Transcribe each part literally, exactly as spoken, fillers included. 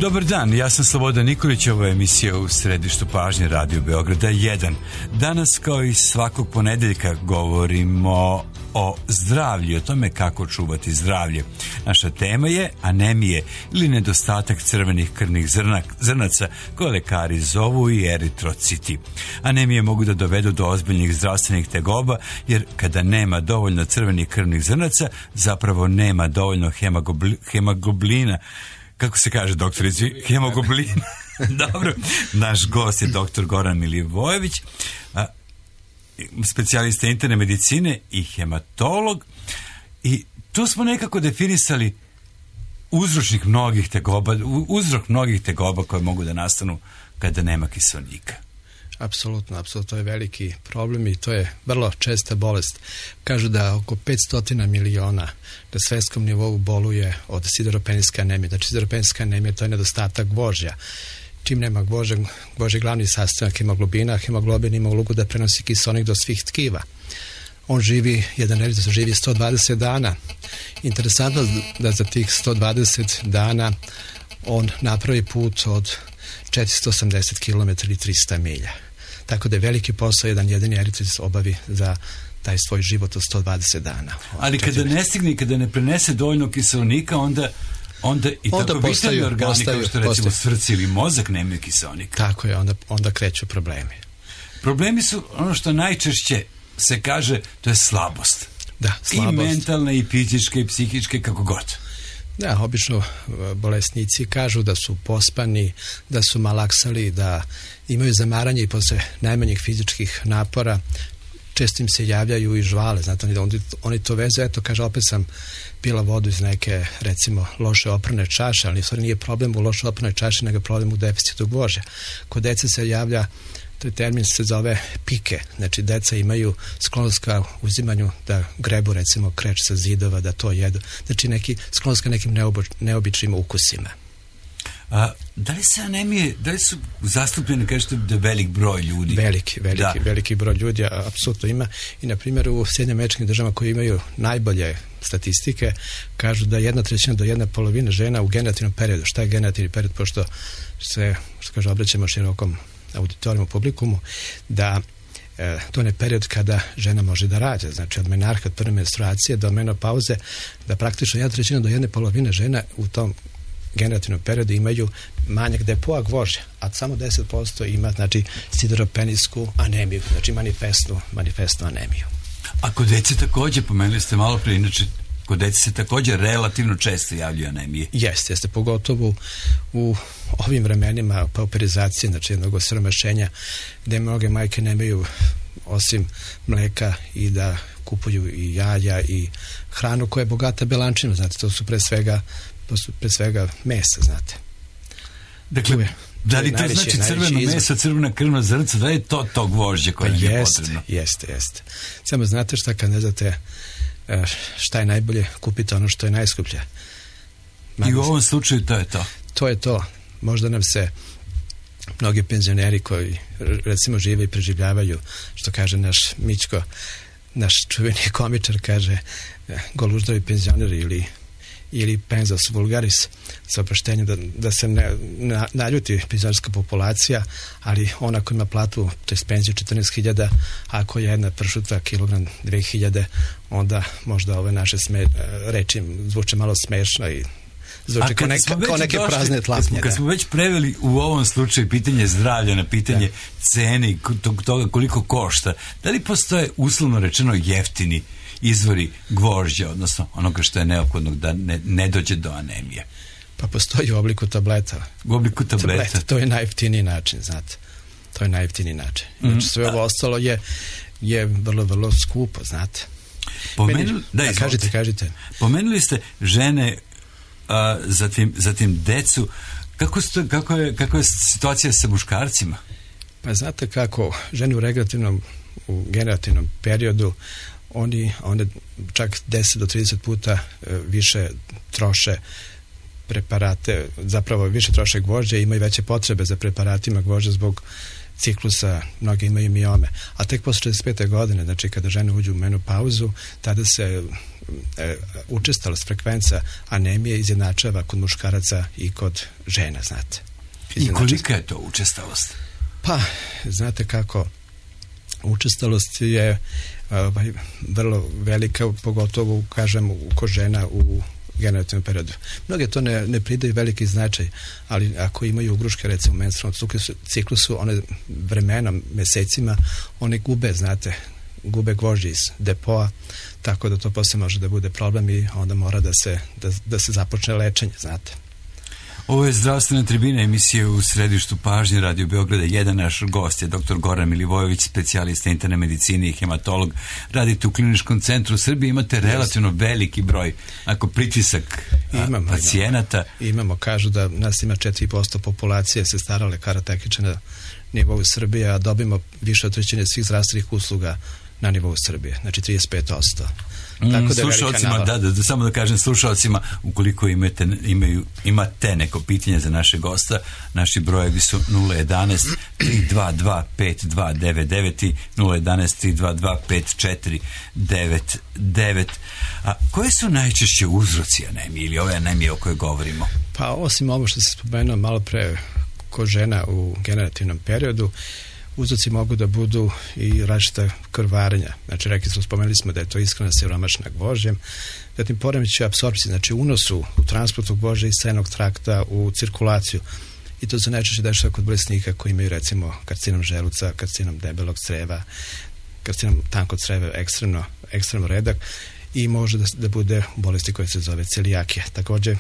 Dobar dan, ja sam Slobodan Nikolić, ovo je emisija u središtu pažnje Radio Beograda jedan. Danas, kao i svakog ponedeljka, govorimo o zdravlju, o tome kako čuvati zdravlje. Naša tema je anemije ili nedostatak crvenih krvnih zrna, zrnaca, koje lekari zovu i eritrociti. Anemije mogu da dovedu do ozbiljnih zdravstvenih tegoba, jer kada nema dovoljno crvenih krvnih zrnaca, zapravo nema dovoljno hemoglobina. Kako se kaže, doktorici? Hemoglobin. Dobro. Naš gost je doktor Goran Milivojević, specijalista interne medicine i hematolog. I tu smo nekako definisali uzročnik mnogih tegoba, uzrok mnogih tegoba koje mogu da nastanu kada nema kiseonika. Apsolutno, apsolutno, to je veliki problem i to je vrlo česta bolest. Kažu da oko petsto miliona na svetskom nivou boluje od sideropenijske anemije. Znači, sideropenijska anemija to je nedostatak gvožđa. Čim nema gvožđa, gvožđa je glavni sastavak hemoglobina, hemoglobin ima ulogu da prenosi kiseonik do svih tkiva. On živi, jedan eritroc živi sto dvadeset dana. Interesantno da za tih sto dvadeset dana on napravi put od četiristo osamdeset kilometara ili trista milja. Tako da je veliki posao jedan jedini eritroc obavi za taj svoj život od sto dvadeset dana. Ali kada ne stigne, kada ne prenese dovoljno kiseonika, onda onda i onda tako vitalni organi postaju, kao što recimo srce ili mozak nemaju kiseonika. Tako je, onda, onda kreću problemi. Problemi su ono što najčešće se kaže, to je slabost. Da, slabost. I mentalne, i fizičke, i psihičke, kako god. Da, obično bolesnici kažu da su pospani, da su malaksali, da imaju zamaranje i posle najmanjih fizičkih napora. Često im se javljaju i žvale, znate, oni, oni to vezu, eto, kaže, opet sam pila vodu iz neke, recimo, loše oprane čaše, ali stvari nije problem u loše oprane čaše, nego problem u deficitu gvožđa. Kod dece se javlja, to je termin se zove pike, znači deca imaju sklonost ka uzimanju da grebu, recimo, kreč sa zidova, da to jedu, znači neki, sklonost ka nekim neobo, neobičnim ukusima. A, da li se anemije, da li su zastupljene, kažete, da velik broj ljudi? Veliki, veliki, da. veliki broj ljudi, apsolutno ima. I, na primjer, u Sjedinjenim Američkim Državama koji imaju najbolje statistike, kažu da jedna trećina do jedna polovina žena u generativnom periodu. Šta je generativni period? Pošto se, što kaže, obraćamo širokom auditorijumu, publikumu, da e, to je period kada žena može da rađa. Znači, od menarha, od prve menstruacije do menopauze, da praktično jedna trećina do jedne polovine žena u tom generativnom periodu imaju manjak depoa gvožđa, a samo deset posto ima, znači, sideropenijsku anemiju, znači manifestnu, manifestnu anemiju. A kod dece također, pomenuli ste malo prije, inače, kod dece se također relativno često javljaju anemije. Jeste, jeste, pogotovo u ovim vremenima pauperizacije, znači jednog osiromašenja, gde mnoge majke nemaju osim mleka i da kupuju i jaja i hranu koja je bogata belančinom, znate, to su pre svega to su pre svega mesa, znate. Dakle, je, da li to najviše, znači crveno meso, crvena krvna zrnca, da je to to gvožđe koje pa nam je potrebno? Jeste, jeste. Samo znate šta, kad ne znate šta je najbolje, kupite ono što je najskuplje. I u ovom slučaju to je to? To je to. Možda nam se mnogi penzioneri koji recimo žive i preživljavaju, što kaže naš Mićko, naš čuveni komičar, kaže goluždovi penzioneri ili ili penzos vulgaris, sa oproštenjem da, da se ne na, naljuti penzionerska populacija, ali ona koja ima platu, to je penziju četrnaest hiljada, ako je jedna pršuta kilogram dve hiljade, onda možda ove naše sme, reči zvuče malo smešno i zvuče kao, neka, kao neke došli, prazne tlapnje. Kad smo već preveli u ovom slučaju pitanje zdravlja na pitanje da. cene i toga koliko košta, da li postoje uslovno rečeno jeftini izvori gvožđa, odnosno onoga što je neophodno da ne, ne dođe do anemije? Pa postoji u obliku tableta. U obliku tableta? tableta to je najjeftiniji način, znate. To je najjeftiniji način. Mm. Znači, sve ovo ostalo je, je vrlo, vrlo skupo, znate. Pomenuli, Meni, da, da, kažite, kažite. Pomenuli ste žene, a, zatim, zatim decu. Kako, sto, kako, je, kako je situacija sa muškarcima? Pa znate kako, žene u regulativnom, u generativnom periodu, oni one čak deset do trideset puta e, više troše preparate, zapravo više troše gvožđe, imaju veće potrebe za preparatima gvožđa zbog ciklusa, mnogi imaju miome, a tek posle četrdeset pete godine, znači kada žene uđu u menopauzu, tada se e, učestalost, frekvenca anemije izjednačava kod muškaraca i kod žena, znate. I kolika je to učestalost? Pa, znate kako, učestalost je ovaj, vrlo velika, pogotovo, kažem, kod žena u generativnom periodu. Mnoge to ne, ne pridaju veliki značaj, ali ako imaju ugruške, recimo u menstrualnom ciklusu, one vremenom, mesecima, one gube, znate, gube gvožđe iz depoa, tako da to posle može da bude problem i onda mora da se, da, da se započne lečenje, znate. Ovo je zdravstvena tribina, emisije u središtu pažnje Radio Beograda. Jedan naš gost je doktor Goran Milivojević, specijalista interne medicine i hematolog. Radite u Kliničkom centru Srbije, imate relativno veliki broj, ako pritisak imamo, pacijenata. Imamo, imamo, kažu da nas ima četiri posto populacije se stara lekara tehničara na nivou Srbije, a dobimo više od trećine svih zdravstvenih usluga na nivou Srbije, znači trideset pet posto. Mm, slušalcima, da, da, da, samo da kažem slušalcima, ukoliko imate, imaju, imate neko pitanje za naše gosta, naši brojevi su nula jedan tri dva dva pet dva devet devet i nula jedan tri dva dva pet četiri devet devet. A koje su najčešće uzroci anemije ili ove anemije o kojoj govorimo? Pa osim ovo što se spomenuo malo pre kod žena u generativnom periodu, uzroci mogu da budu i različita krvarenja. Znači, rekli smo, spomenuli smo da je to ishrana siromašna gvožđem, zatim poremećaj apsorpcije, znači unosu, u transportu gvožđa iz strennog trakta u cirkulaciju. I to se najčešće dešava kod bolesnika koji imaju, recimo, karcinom želuca, karcinom debelog creva, karcinom tankog creva ekstremno, ekstremno redak i može da, da bude bolesti koja se zove celijakija. Također,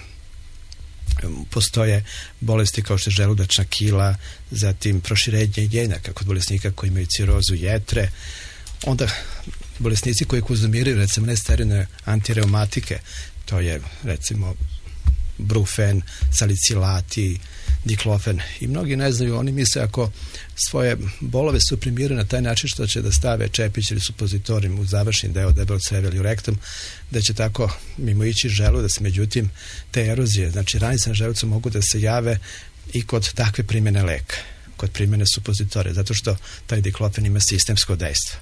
postoje bolesti kao što je želudačna kila, zatim proširenje jenjaka kod bolesnika koji imaju cirozu jetre, onda bolesnici koji konzumiraju recimo nesterilne antireumatike, to je recimo brufen, salicilati, diklofen i mnogi ne znaju, oni misle ako svoje bolove suprimiraju na taj način što će da stave čepić ili supozitorijum u završni deo debelog creva ili u rektum, da će tako mimo ići želudac, međutim te erozije, znači ranice na želucu mogu da se jave i kod takve primjene leka, kod primjene supozitorija, zato što taj diklofen ima sistemsko dejstvo.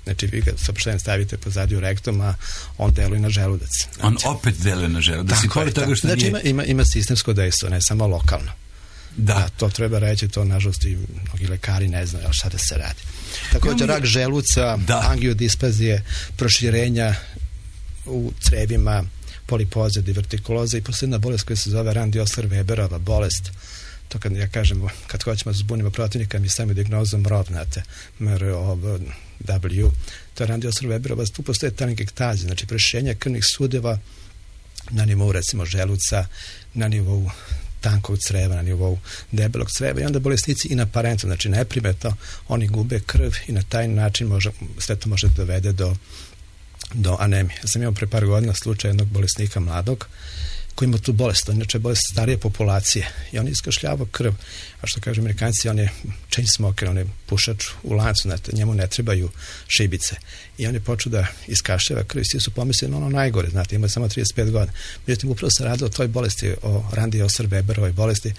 Znači vi ga saopštenjem stavite pozadi u rektum, a on deluje na želudac. Znači, on opet deluje na želudac. Tako je, tako. Znači nije... ima, ima, ima sistemsko dejstvo, ne samo lokalno. Da. A to treba reći, to nažalost i mnogi lekari ne znaju, ali šta da se radi. Također rak želuca, da. Angiodispazije, proširenja u crevima, polipoze, divertikuloza i posljedna bolest koja se zove Randy Osler-Weberova bolest. To kad ja kažem, kad hoćemo da zbunimo protivnika, mi stavimo dijagnozom M R O V, znate, M R O V W, to je Randy Osler-Weberova, tu postoje telangiektaze, znači proširenja krvnih sudeva na nivou recimo želuca, na nivou tankog creva, na nivou debelog creva i onda bolesnici inaparentno, znači neprimetno, oni gube krv i na taj način može, sve to može dovede do, do anemije. Ja sam imao pre par godina slučaj jednog bolesnika mladog koji ima tu bolest, inače bolest starije populacije i on iskašljava krv, a što kažu Amerikanci, on je chain smoker, on je pušač u lancu, znate, njemu ne trebaju šibice i on je počeo da iskašljava krv i svi su pomislili na ono najgore, znate, ima samo trideset pet godina. Međutim, upravo se radilo o toj bolesti, o Randy Osler-Weberovoj bolesti,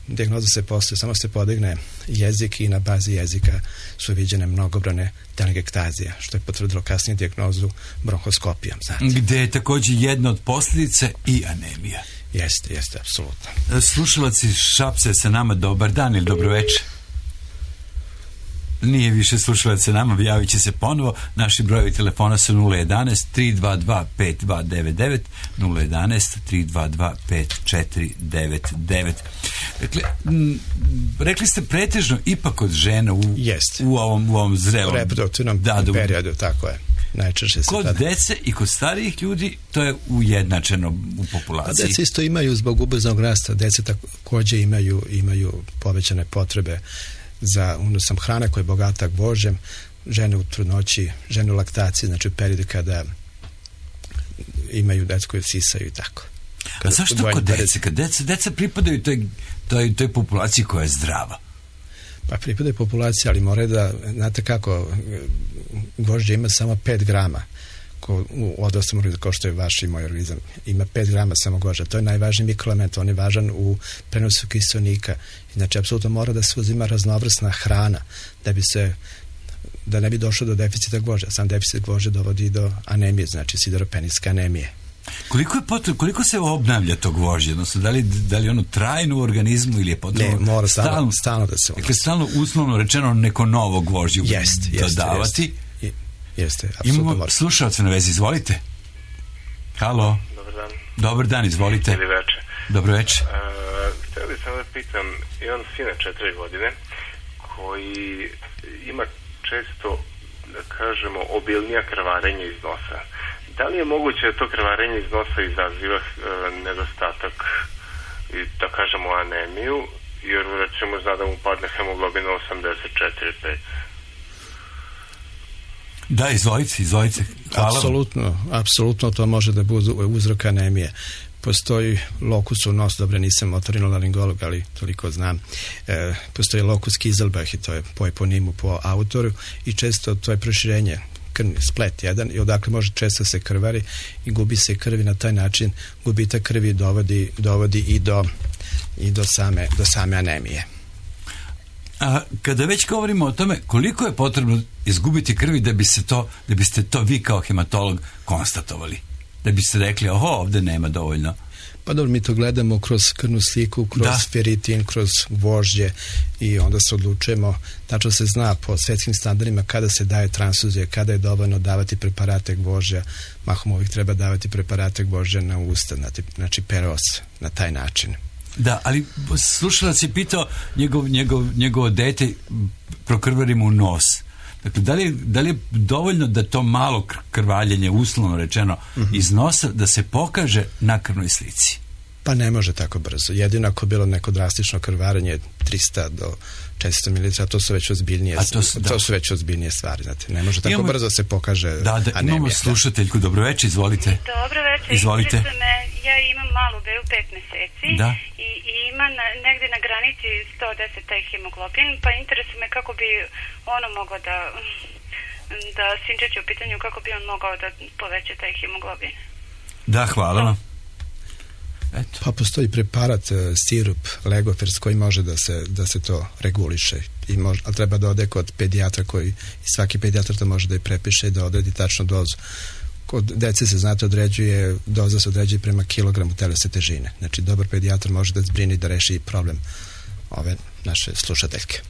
dijagnoza se postoje, samo se podigne jezik i na bazi jezika su viđene mnogobrojne telangiektaze, što je potvrdilo kasnije dijagnozu bronhoskopijom. Znate. Gde je također jedna od posljedica i anemija. Jeste, jeste, apsolutno. Slušalac iz Šapca sa nama, dobar dan ili dobro večer. Nije više slušalac sa nama, javit će se ponovo. Naši brojevi telefona su nula jedan tri dva dva pet dva devet devet, nula jedan tri dva dva pet četiri devet devet. Dakle, m, rekli ste pretežno ipak od žena u, u ovom, u ovom zrelom reproduktivnom da, da, periodu, tako je. Najčešće se kod tada. Dece i kod starijih ljudi to je ujednačeno u populaciji. A dece isto imaju zbog ubrzanog rasta, dece također imaju, imaju povećane potrebe za unosom hrane koja je bogata gvožđem, žene u trudnoći, žene u laktaciji, znači u periodu kada imaju decu koje sisaju i tako. Kada, A zašto kod dece? Kad deca, deca pripadaju toj, toj, toj populaciji koja je zdrava? Pa pripadaju populaciji, ali moraju da, znate kako, gvožđe ima samo pet grama ko, u odraslom organizmu, kao što je vaš i moj organizam, ima pet grama samo gvožđa. To je najvažniji mikroelement, on je važan u prenosu kiseonika. Znači, apsolutno mora da se uzima raznovrsna hrana da bi se da ne bi došlo do deficita gvožđa. Sam deficit gvožđa dovodi do anemije, znači sideropenijske anemije. Koliko je potrebno, koliko se obnavlja to gvožđe? Odnosno, da li, da li ono trajno u organizmu ili je potrebno? Ne, mora stalno, stalno, stalno da se... Dakle, stalno uslovno rečeno neko novo gvožđe jest, jest, dodavati. Jest, jeste, apsolutno imamo mora. Slušalce na vezi, izvolite. Halo. Dobar dan. Dobar dan, izvolite. Ili večer. Dobro večer. Uh, htjeli sam da pitam, imam sina četiri godine koji ima često, da kažemo, obilnija krvarenja iz nosa. Da li je moguće da to krvarenje iz nosa izaziva uh, nedostatak i da kažemo anemiju, jer recimo zna da mu padne hemoglobin osamdeset četiri zarez pet? Da, izvolite, izvolite. Hvala. Apsolutno, apsolutno to može da bude uzrok anemije. Postoji lokus u nos, dobro, nisam otorinolaringolog, ali toliko znam. E, postoji lokus Kieselbach i to je po eponimu, po autoru i često to je proširenje, krvni splet jedan i odakle može često se krvari i gubi se krvi na taj način. Gubitak krvi dovodi, dovodi i do, i do same, do same anemije. A kada već govorimo o tome koliko je potrebno izgubiti krvi da bi se to, da biste to vi kao hematolog konstatovali, da biste rekli oho, ovdje nema dovoljno. Pa dobro, mi to gledamo kroz krvnu sliku, kroz da. Feritin, kroz gvožđe i onda se odlučujemo, tačno se zna po svjetskim standardima kada se daje transfuzija, kada je dovoljno davati preparate gvožđa, mahom uvijek treba davati preparate gvožđa na usta, znači, znači peros, na taj način. Da, ali slušalac je pitao njegov, njegov, njegovo dete prokrvari mu nos. Dakle, da li, je, da li je dovoljno da to malo krvaljenje, uslovno rečeno, mm-hmm. iz nosa, da se pokaže na krvnoj slici? Pa ne može tako brzo. Jedino ako bilo neko drastično krvarenje trista do četiristo mililitara, to su već ozbiljnije, to su, to su već ozbiljnije stvari. Znate. Ne može tako imamo, brzo se pokaže da, da, anemija. Imamo slušateljku, dobro večer, izvolite. Dobro večer, izvolite. Me, ja imam malu bebu pet meseci da. i, i ima na, negdje na granici sto deset taj hemoglobin, pa interesuje me kako bi ono moglo da da sinčić u pitanju, kako bi on mogao da poveća taj hemoglobin. Da, hvala vam. Eto. Pa postoji preparat, sirup, Legofers, koji može da se, da se to reguliše. I može, ali treba da ode kod pedijatra koji, i svaki pedijatar to može da je prepiše i da odredi tačnu dozu. Kod dece se, znate, određuje, doza se određuje prema kilogramu telesne težine. Znači, dobar pedijatar može da zbrini da reši problem ove naše slušateljke.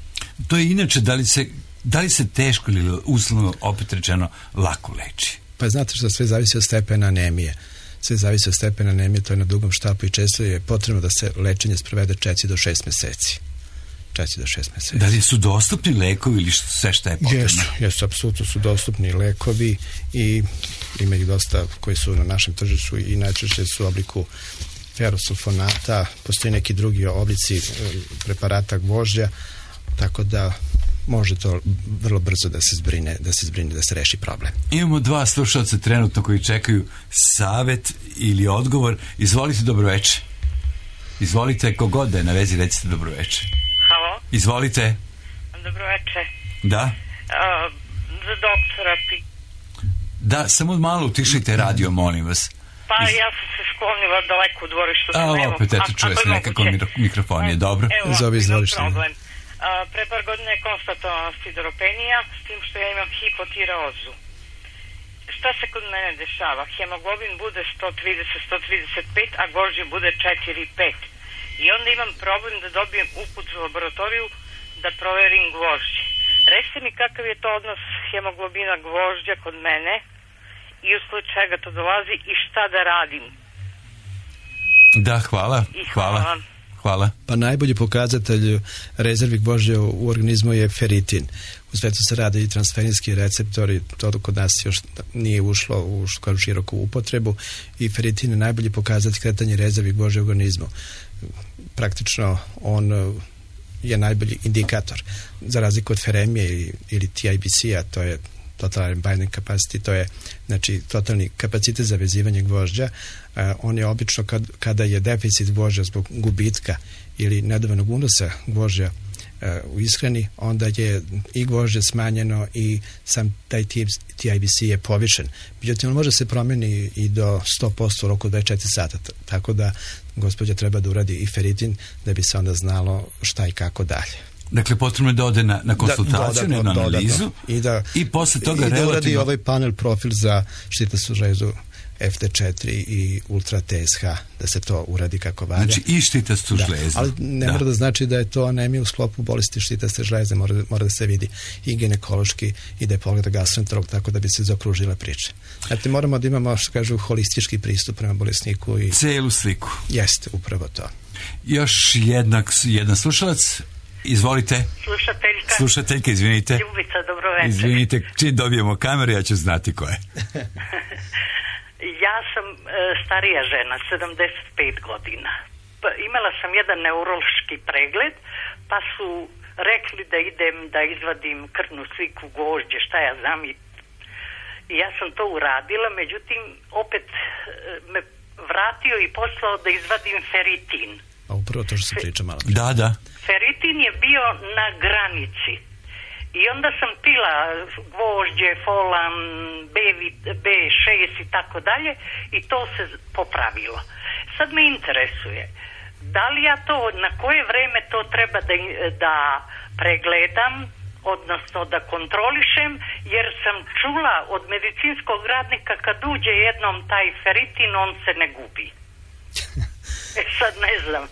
To je inače, da li se, da li se teško ili uslovno, opet rečeno, lako leči? Pa znate što sve zavisi od stepena anemije. Sve zavisi od stepena anemije, to je na dugom štapu i često je potrebno da se lečenje sprovede četiri do šest meseci. četiri do šest meseci. Da li su dostupni lekovi ili sve što je potrebno? Jesu, jesu, apsolutno su dostupni lekovi i ima ih dosta koji su na našem tržištu i najčešće su u obliku ferosulfonata, postoji neki drugi oblici preparata gvožđa, tako da može to vrlo brzo da se zbrine, da se zbrine, da se reši problem. Imamo dva slušalca trenutno koji čekaju savjet ili odgovor. Izvolite, dobro večer. Izvolite, kogod da je na vezi, recite dobro večer. Halo? Izvolite. Dobro večer. Da? Uh, za doktora pi... Da, samo malo utišite radio, molim vas. Pa Iz... ja sam se sklonila daleko u dvorištu. A, opet, eto, čuje se nekako mikrofon je dobro. Evo, Zovi izvolište. Problem. Uh, pre par godine je konstatovana sideropenija, s tim što ja imam hipotireozu. Šta se kod mene dešava? Hemoglobin bude sto trideset do sto trideset pet, a gvožđe bude četiri pet. I onda imam problem da dobijem uput u laboratoriju da proverim gvožđe. Recite mi kakav je to odnos hemoglobina gvožđa kod mene i usled čega to dolazi i šta da radim. Da, hvala. I hvala. Hvala. Hvala. Pa najbolji pokazatelj rezervi gvožđa u organizmu je feritin. U svetu se rade i transferinski receptori, to kod nas još nije ušlo u široku upotrebu i feritin je najbolji pokazatelj kretanja rezervi gvožđa u organizmu. Praktično on je najbolji indikator. Za razliku od feremije ili T I B C-a, to je total binding capacity, to je znači totalni kapacitet za vezivanje gvožđa. Uh, on je obično kad, kada je deficit gvožđa zbog gubitka ili nedovoljnog unosa gvožđa u ishrani, onda je i gvožđe smanjeno i sam taj T I B C je povišen. Međutim, on može se promeni i do sto posto u roku dvadeset četiri sata, tako da gospođa treba da uradi i feritin da bi se onda znalo šta i kako dalje. Dakle, potrebno je da ode na, na konsultaciju, da, na analizu i, da, i posle toga i da relativno... uradi ovaj panel profil za štitnastu žlezu F T četiri i ultra T S H, da se to uradi kako valja. Znači i štitastu da, žlezu. Ali ne da. mora da znači da je to anemija u sklopu bolesti štitaste žleze, mora, mora da se vidi i ginekološki i da je pogleda gastroenterolog, tako da bi se zaokružila priča. Znači moramo da imamo, što kažu, holistički pristup prema bolesniku. I celu sliku. Jeste, upravo to. Još jednak, jedan slušalac. Izvolite. Slušateljka. Slušateljka, izvinite. Ljubica, dobro večer. Izvinite, čim dobijemo kameru, ja ću znati ko je. Ja sam e, starija žena, sedamdeset pet godina. Pa, imala sam jedan neurološki pregled, pa su rekli da idem da izvadim krvnu sliku gvožđe, šta ja znam. I, i ja sam to uradila, međutim, opet e, me vratio i poslao da izvadim feritin. A upravo to što se priča malo. Da, da. Feritin je bio na granici. I onda sam pila gvožđe, folan, B šest i tako dalje i to se popravilo. Sad me interesuje, da li ja to, na koje vreme to treba da, da pregledam, odnosno da kontrolišem, jer sam čula od medicinskog radnika kad uđe jednom taj feritin, on se ne gubi. E sad ne znam.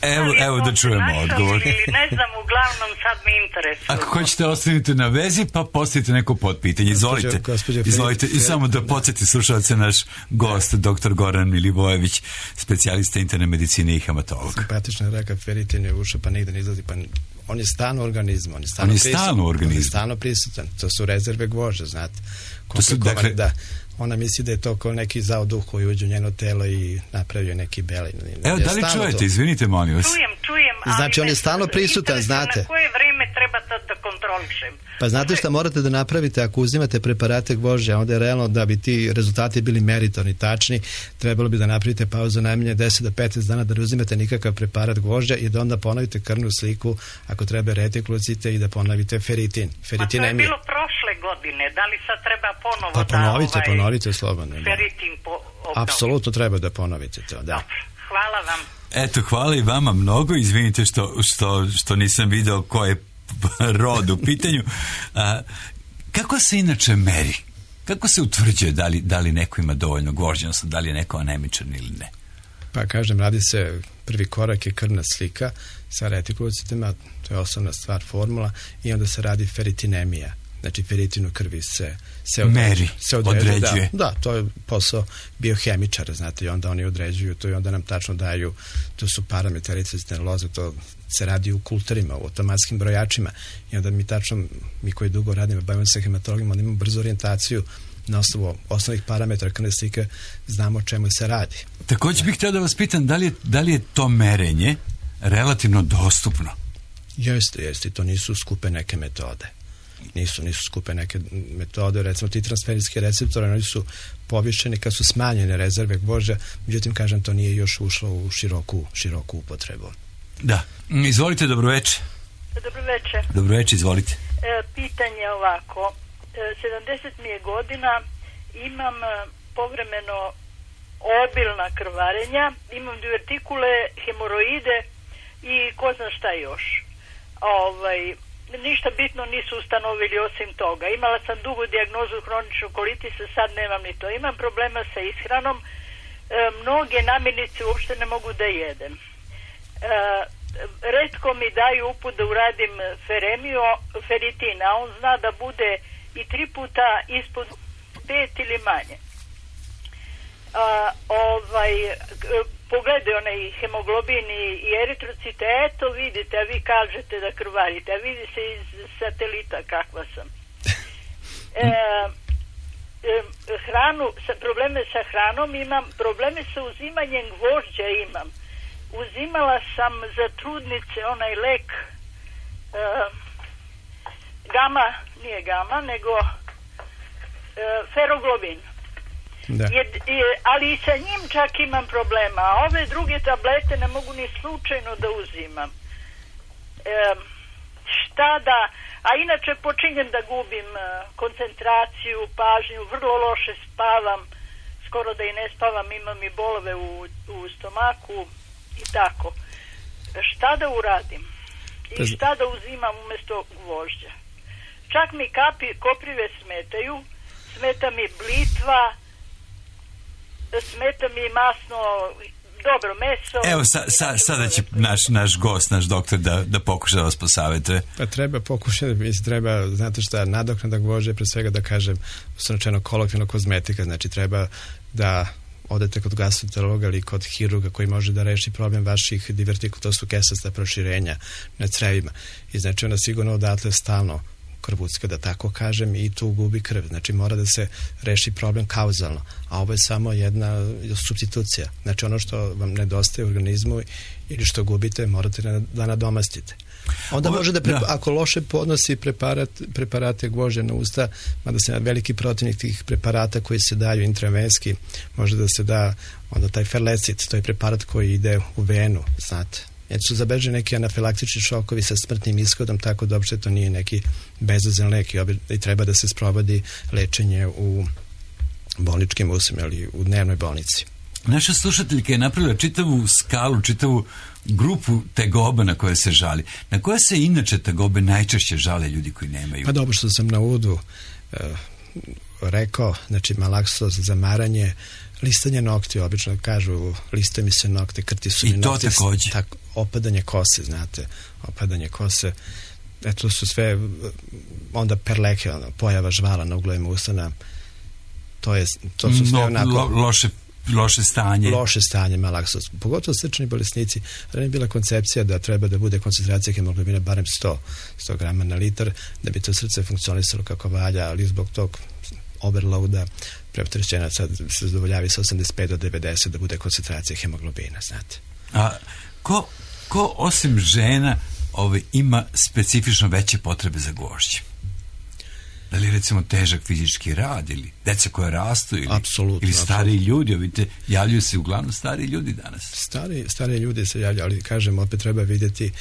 Evo, evo da čujemo odgovor. Ili ne znam, uglavnom sad me interesuje. Ako hoćete, ostanite na vezi, pa postavite neko potpitanje. Izvolite. Gospođo, Izvolite. I samo da podsjeti slušalce, naš gost, doktor Goran Milivojević, specijalista interne medicine i hematolog. Simpatično je rekao, feritin je ušao, pa nigde ne izlazi, pa on je stalno u organizmu. On je stalno, on je stalno u organizmu. On je stalno prisutan. To su rezerve gvožđe, znate. To su, dakle, da, ona misli da je to kao neki zao duh koji uđe u njeno telo i napravio neki belin. Evo, da li čujete? To... Izvinite, molim vas. Čujem, čujem, ali... Znači, on je stalno prisutan, znate. Na koje vreme treba to da kontrolišem? Pa znate šta morate da napravite ako uzimate preparate gvožđe, onda je realno da bi ti rezultati bili meritorni, tačni, trebalo bi da napravite pauzu najmanje deset do petnaest dana da ne uzimate nikakav preparat gvožđa i da onda ponovite krvnu sliku, ako treba retikulocite i da ponovite feritin. Feritin pa to je bilo prošle godine, da li sad treba ponovo pa ponovite, da... ovaj, ponovite slobodno. Feritin po... Apsolutno treba da ponovite to, da. Hvala vam. Eto, hvala i vama mnogo. Izvinite što, što, što nisam video ko je rod u pitanju. A, kako se inače meri? Kako se utvrđuje da li, da li neko ima dovoljno gvožđa, odnosno da li je neko anemičan ili ne? Pa kažem, radi se, prvi korak je krvna slika sa retikulocitima, to je osnovna stvar, formula, i onda se radi feritinemija. Znači, feritin u krvi se, se određuje. Meri, se određuje, određuje. Da, da, to je posao biohemičara, znate, i onda oni određuju to i onda nam tačno daju, to su parametri eritrocitne loze, to se radi u kulterima, u automatskim brojačima i onda mi tačno, mi koji dugo radimo, bavimo se hematologima, onda imamo brzu orijentaciju na osnovu osnovnih parametra krvne slike, znamo o čemu se radi. Također bih htio da vas pitam, da li je, da li je to merenje relativno dostupno? Jeste, jeste, to nisu skupe neke metode. Nisu, nisu skupe neke metode, recimo ti transferijski receptori, oni su povišeni kad su smanjene rezerve gvožđa, međutim, kažem, to nije još ušlo u široku, široku upotrebu. Da. Izvolite, dobroveče. Dobroveče. Dobroveče, izvolite. E, pitanje ovako, e, sedamdeset mi je godina, imam povremeno obilna krvarenja, imam divertikule, hemoroide i ko zna šta još. Ovaj... Ništa bitno nisu ustanovili osim toga. Imala sam dugu dijagnozu hroničnu kolitisa, sad nemam ni to. Imam problema sa ishranom. E, mnoge namirnice uopšte ne mogu da jedem. E, retko mi daju uput da uradim feremio, feritin, a on zna da bude i tri puta ispod pet ili manje. A, ovaj... Pogledaj onaj hemoglobin i eritrocite, eto vidite, a vi kažete da krvarite, a vidi se iz satelita kakva sam. E, e, hranu, sa, probleme sa hranom imam, probleme sa uzimanjem gvožđa imam. Uzimala sam za trudnice onaj lek e, gama, nije gama, nego e, feroglobin. Da. Je, je, ali i sa njim čak imam problema, a ove druge tablete ne mogu ni slučajno da uzimam. šta da, a inače počinjem da gubim koncentraciju, pažnju, vrlo loše spavam, skoro da i ne spavam, imam i bolove u, u stomaku i tako. Šta da uradim? I šta da uzimam umjesto gvožđa? Čak mi kapi, koprive smetaju, smeta mi blitva, smeta mi masno, dobro meso. Evo, sa, sa, sada će naš, naš gost, naš doktor da, da pokuša da vas posavetuje. Pa treba pokušati, mislim, treba, znate šta, nadoknada gvožđa, pre svega da kažem, uslovno kolokvijalno kozmetika, znači treba da odete kod gastroenterologa ili kod hirurga koji može da reši problem vaših divertikula, to su kesasta proširenja na crevima. I znači ona sigurno odatle stalno krvucka, da tako kažem, i tu gubi krv. Znači mora da se reši problem kauzalno, a ovo je samo jedna supstitucija. Znači ono što vam nedostaje u organizmu ili što gubite, morate da nadomastite. Onda ovo, može da, pre, da, ako loše podnosi preparat, preparate gvožđa na usta, mada se veliki protivnik tih preparata koji se daju intravenski, može da se da onda taj ferlecit, to je preparat koji ide u venu, znate. Jer su zabeleženi neki anafilaktični šokovi sa smrtnim ishodom, tako da uopšte to nije neki bezazlen lek i treba da se sprovodi lečenje u bolničkim uslovima ili u dnevnoj bolnici. Naša slušateljka je napravila čitavu skalu, čitavu grupu tegoba na koje se žali. Na koje se inače tegobe najčešće žale ljudi koji nemaju? Pa dobro, što sam na uvodu e, rekao, znači malaksoz, zamaranje, listanje nokti, obično kažu listaju mi se nokte, krti su mi nokti. I to takođe? Tak, opadanje kose, znate, opadanje kose. Eto su sve, onda perleke, ono, pojava žvala na uglovima usana, to, je, to su sve no, onako... Lo, loše loše stanje. Loše stanje malaksoz. Pogotovo srčani bolesnici. Ranije je bila koncepcija da treba da bude koncentracija hemoglobina barem sto grama na litar, da bi to srce funkcionisalo kako valja, ali zbog tog overloada preopterećenja sad se zadovoljavi sa osamdeset pet do devedeset da bude koncentracija hemoglobina, znate. A ko, ko osim žena ovaj, ima specifično veće potrebe za gvožđe? Da li recimo težak fizički rad ili deca koja rastu ili, apsolutno, ili stariji apsolutno. ljudi, vidite, javljaju se uglavnom stariji ljudi danas. Stari, stari ljudi se javljaju, ali kažem, opet treba vidjeti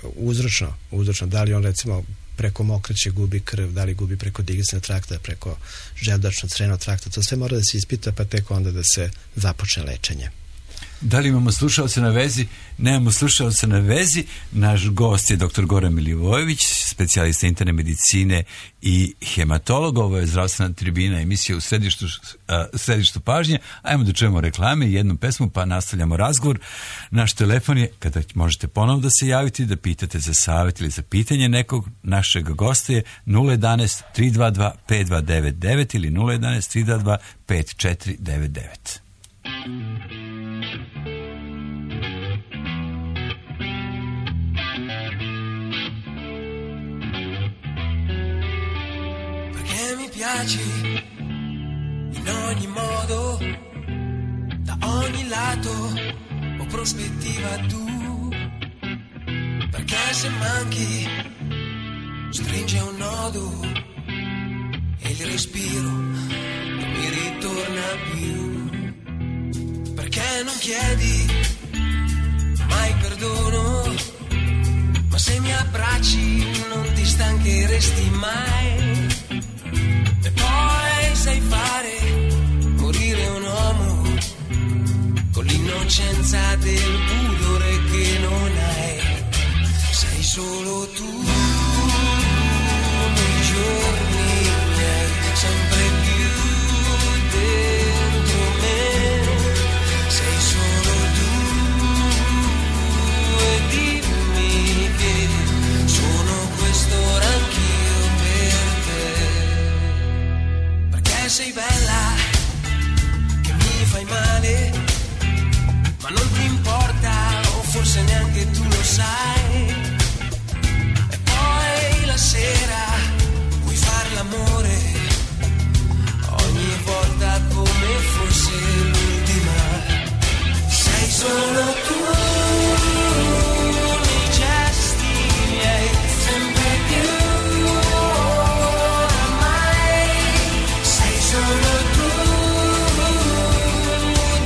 uzročno, uzročno, da li on recimo preko mokraće gubi krv, da li gubi preko digestivnog trakta, preko želudačno-crijevnog trakta, to sve mora da se ispita, pa tek onda da se započne lečenje. Da li imamo slušalce na vezi? Nemamo slušalce na vezi. Naš gost je doktor Goran Milivojević, specijalista interne medicine i hematolog. Ovo je zdravstvena tribina, emisija u središtu, a, središtu pažnje. Ajmo da čujemo reklame i jednu pesmu, pa nastavljamo razgovor. Naš telefon je, kada možete ponovno da se javite, da pitate za savjet ili za pitanje nekog našeg gosta, je nula jedanaest tri dva dva pet dva devet devet ili nula jedanaest tri dva dva pet četiri devet devet. Piaci in ogni modo, da ogni lato ho prospettiva tu, perché se manchi stringe un nodo e il respiro non mi ritorna più, perché non chiedi mai perdono, ma se mi abbracci non ti stancheresti mai. E poi sai fare morire un uomo con l'innocenza del pudore che non hai. Sei solo tu nei giorni miei, sempre più dentro me. Sei solo tu e dimmi che sono quest'ora anch'io per te. Sei bella, che mi fai male, ma non ti importa, o forse neanche tu lo sai. E poi la sera puoi far l'amore, ogni volta come fosse l'ultima. Sei solo tu nei gesti miei, sempre più. Solo tu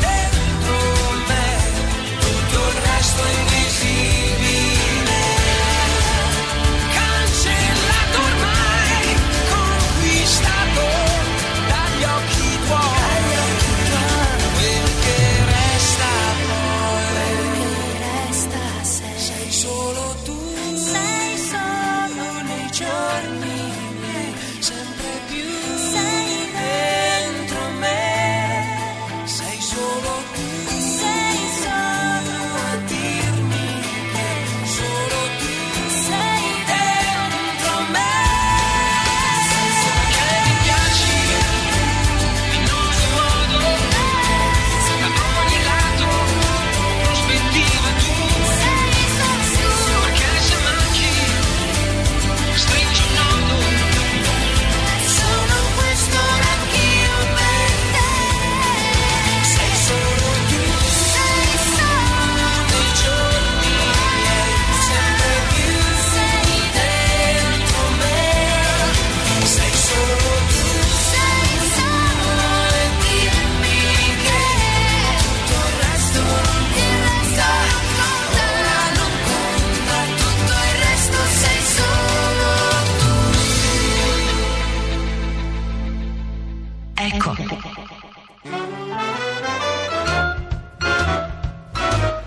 dentro me, tutto il resto è invisibile.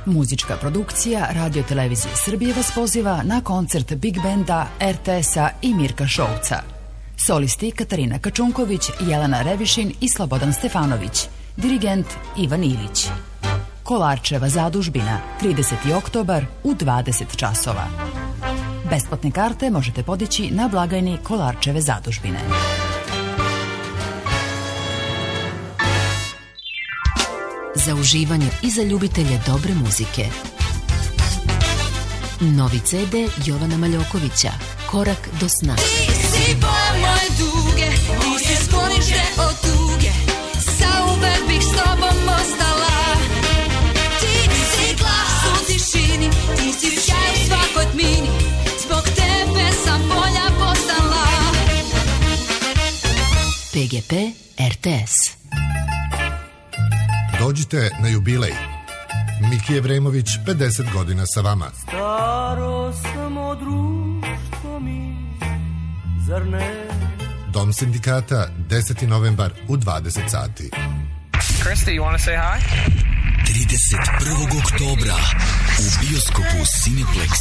Muzička produkcija Radio Televizije Srbije vas poziva na koncert Big Benda, er te esa i Mirka Šouca. Solisti Katarina Kačunković, Jelena Revišin i Slobodan Stefanović. Dirigent Ivan Ilić. Kolarčeva zadužbina, trideseti oktobar u dvadeset časova. Besplatne karte možete podići na blagajni Kolarčeve zadužbine. Za uživanje i za ljubitelje dobre muzike. Novi ce de Jovana Maljokovića, Korak do sna. Ti si boja moje duge, ti si sklonište od tuge, zauvek bih s tobom ostala. Ti si glas u tišini, ti si sjaj u svakoj tmini, zbog tebe sam bolja postala. pe ge pe er te es. Dođite na jubilej. Miki Evremović, pedeset godina sa vama. Staro samo društvo mi, zar ne? Dom sindikata, deseti novembar u dvadeset sati. Krista, you want to say hi? trideset prvog oktobra u bioskopu Cineplex.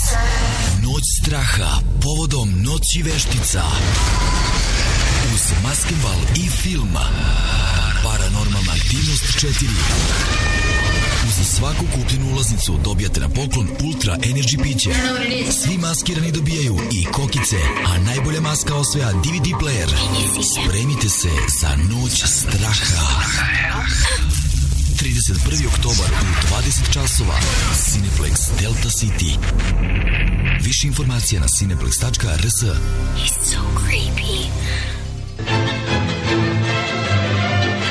Noć straha povodom Noći veštica. Uz maskembal i film Paranormalna aktivnost četiri. Uz svaku kupljenu ulaznicu dobijate na poklon Ultra Energy piće. Svi maskirani dobijaju i kokice, a najbolja maska osvaja de ve de player. Spremite se za Noć straha. trideset prvi oktobar u dvadeset časova. Cineplex Delta City. Više informacija na cineplex tačka er s. He's so creepy.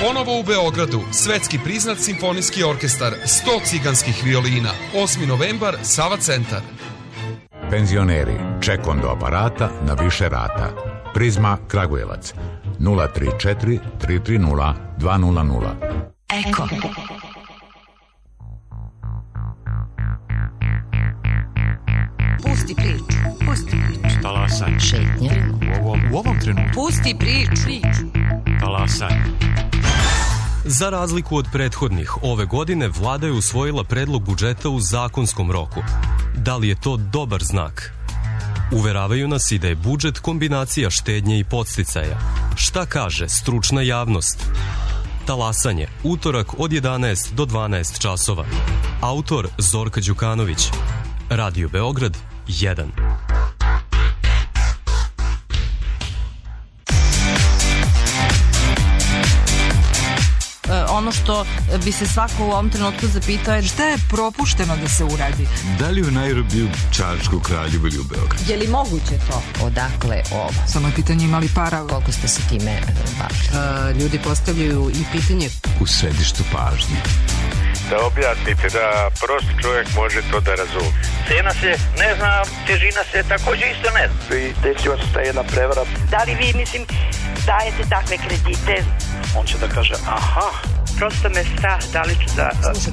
Ponovo u Beogradu, svetski priznat simfonijski orkestar, sto ciganskih violina, osmi novembar, Sava centar. Penzioneri, ček do aparata na više rata. Prizma Kragujevac, nula tri četiri tri tri nula dva nula nula. Eko. Pusti priču, pusti priču. Talasaj. Šetnja. U ovom, u ovom trenutku. Pusti priču. Talasaj. Za razliku od prethodnih, ove godine vlada je usvojila predlog budžeta u zakonskom roku. Da li je to dobar znak? Uveravaju nas i da je budžet kombinacija štednje i podsticaja. Šta kaže stručna javnost? Talasanje, utorak od jedanaest do dvanaest časova. Autor Zorka Đukanović. Radio Beograd jedan. Ono što bi se svako u ovom trenutku zapitao je šta je propušteno da se uradi. Da li u Nairobiju, Čačku, Kraljevu ili u Beogradu? Je li moguće to? Odakle ovo? Samo je pitanje imali para. Koliko ste se time bavili? Ljudi postavljaju i pitanje u središtu pažnje. Da objasnite da prosti čovjek može to da razumije. Cena se ne zna, težina se također isto ne zna. I desila se ta jedna prevara. Da li vi, mislim, dajete takve kredite? On će da kaže, aha. Prosto me strah da li ću da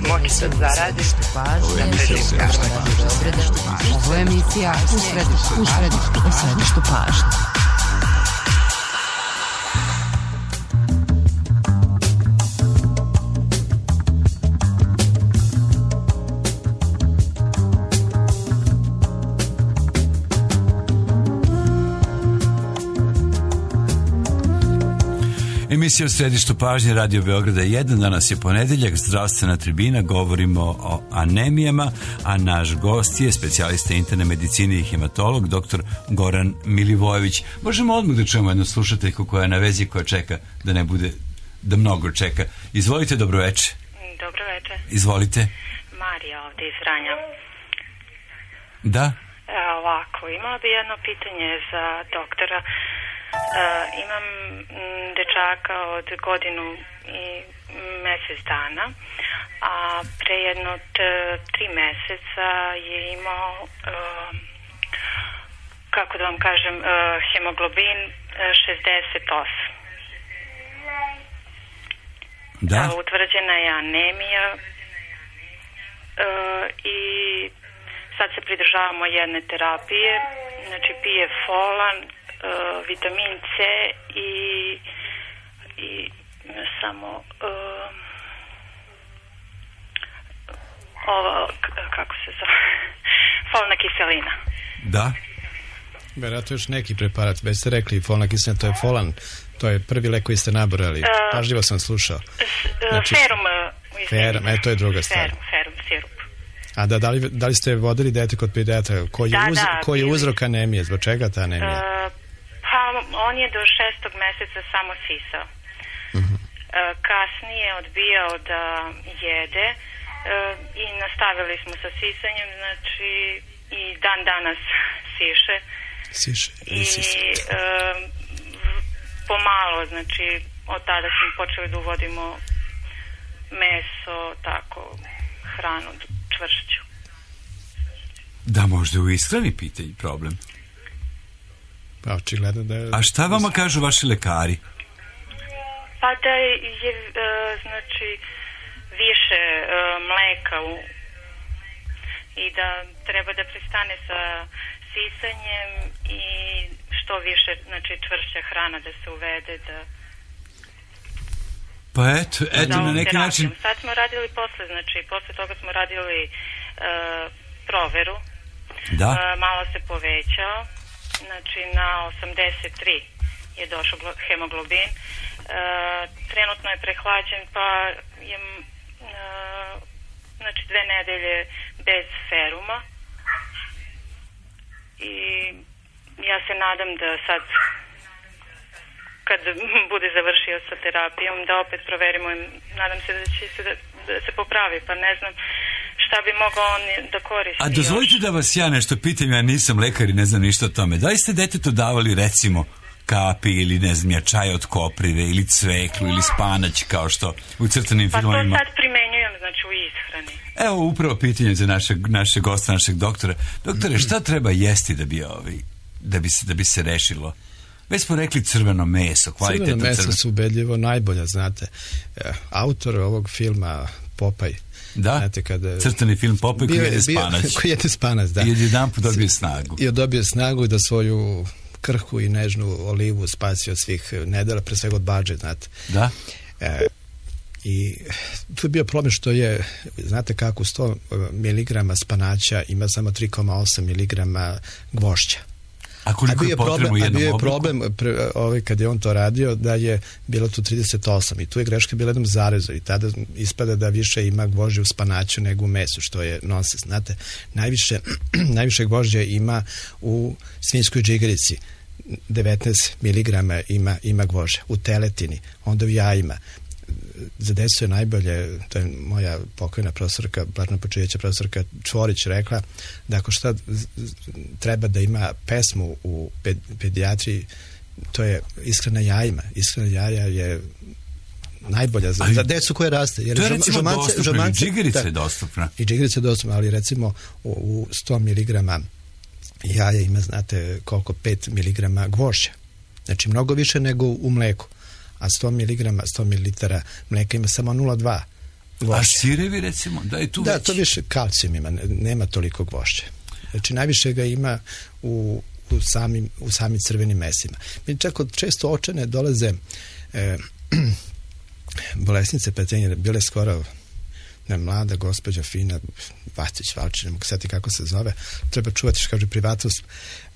moći da zaradim. Ovo je emisija Ovo je emisija u središtu, u središtu, u središtu pažnje. Emisija u središtu pažnje Radio Beograda jedan. Danas je ponedeljak, zdravstvena tribina, govorimo o anemijama, a naš gost je specijalista interne medicine i hematolog, doktor Goran Milivojević. Možemo odmah da čujemo jednu slušateljku koja je na vezi, koja čeka da ne bude, da mnogo čeka. Izvolite, dobro večer. Dobro večer. Izvolite. Marija ovdje iz Vranja. Da? E, ovako, imala bi jedno pitanje za doktora. Uh, imam m, dečaka od godinu i mjesec dana, a pre jedno t, tri mjeseca je imao, uh, kako da vam kažem, uh, hemoglobin uh, šezdeset osam. Da? Uh, utvrđena je anemija uh, i sad se pridržavamo jedne terapije, znači pije folan, Uh, vitamin C i, i samo uh, ovo, k- kako se zove, folna kiselina. Da. Vjerojatno još neki preparat, već ste rekli folna kiselina, to je folan, to je prvi lek koji ste nabrali, uh, pažljivo sam slušao. Znači, ferum, ferum, e, to je druga stvar. Ferum, ferum, sirup. A da, da, li, da li ste vodili dete kod pedijatra? Koji je, da, uz, da, koji je uzrok anemije? Zbog čega ta anemija? Uh, pa on je do šestog meseca samo sisao. Uh-huh. Uh, kasnije odbijao da jede uh, i nastavili smo sa sisanjem, znači i dan danas siše. Siše. I uh, pomalo, znači od tada smo počeli da uvodimo meso, tako, hranu čvršću. Da, možda u ishrani pitanje problem. Pa očigledno da je... A šta vama kažu vaši lekari? Pa da je, je znači, više uh, mleka u, i da treba da prestane sa sisanjem i što više, znači, čvršća hrana da se uvede, da... Pa eto, eto na neki način... Sad smo radili posle, znači, posle toga smo radili uh, proveru. Da. Uh, malo se povećao, znači na osamdeset tri je došao hemoglobin. Uh, trenutno je prehlađen, pa je uh, znači dve nedelje bez feruma. I ja se nadam da sad, kad bude završio sa terapijom, da opet proverimo i nadam se da će se, da, da se popravi, pa ne znam šta bi mogao on da koristi. A dozvolite još da vas ja nešto pitam, ja nisam lekar i ne znam ništa o tome. Da li ste detetu davali, recimo, kapi ili ne znam ja, čaj od koprive ili cveklu ili spanać kao što u crtanim pa filmovima? Pa to sad primenjujem, znači u ishrani. Evo upravo pitanje za našeg, našeg gosta, našeg doktora. Doktore, šta treba jesti da bi, ovaj, da bi, se, da bi se rešilo? Već smo rekli crveno meso, kvalitetno crveno. Crveno meso crveno. su ubedljivo najbolja, znate. Autor ovog filma Popaj, da, znate, kada, crtani film Popaj koji jede spanac. Koji jede spanac, da. I jedan put dobije snagu. I dobije snagu da svoju krhku i nežnu olivu spasi od svih nedela, pre svega od badže, znate. Da. E, I tu je bio problem što je, znate kako, sto miligrama spanaća ima samo tri zarez osam miligrama gvožđa. A koliko je potrebno u jednom obroku? A bio je problem, pre, ovaj, kad je on to radio, da je bilo tu trideset osam i tu je greška bila jednom zarezu i tada ispada da više ima gvožđa u spanaću nego u mesu, što je nonsens. Znate, najviše, najviše gvožđa ima u svinjskoj džigerici, devetnaest miligrama ima, ima gvožđa, u teletini, onda u jajima. Za decu je najbolje, to je moja pokojna profesorka, Blatna Počevića profesorka Čvorić rekla, da ako šta treba da ima pesmu u pedijatriji, to je ishrana jajima. Ishrana jaja je najbolja za, za decu koje raste. Jer to je recimo žomance, dostupno, žomance, i džigerica je dostupna. I džigerica je dostupna, ali recimo u, u sto miligrama jaja ima, znate, koliko, pet miligrama gvožđa. Znači mnogo više nego u mleku. A sto miligrama, sto mililitara mleka ima samo nula zarez dva gvožđa. A sirevi, recimo, da je tu da, već? Da, to više kalcijum ima, nema toliko gvožđa. Znači, najviše ga ima u, u, samim, u samim crvenim mesima. Mi čak od često očene dolaze e, bolesnice petenje, bile skoro ne, mlada gospođa fina Vacić, Valčić, ne mogu sjetiti kako se zove, treba čuvati, što kaže, privatnost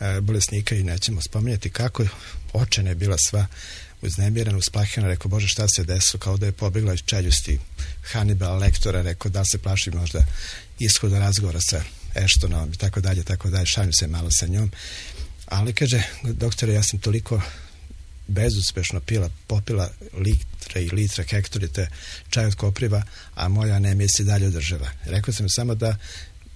e, bolesnika i nećemo spominjati kako očena je bila sva uznemirana, usplahljena, rekao, Bože, šta se desilo, kao da je pobjegla iz čeljusti Hannibal Lektora, rekao, da se plaši možda ishoda razgovora sa Ashtonom i tako dalje, tako dalje, šalim se malo sa njom, ali kaže, doktore, ja sam toliko bezuspešno pila, popila litre i litre, hektolite čaj od kopriva, a moja anemija se dalje održava. Rekao sam samo da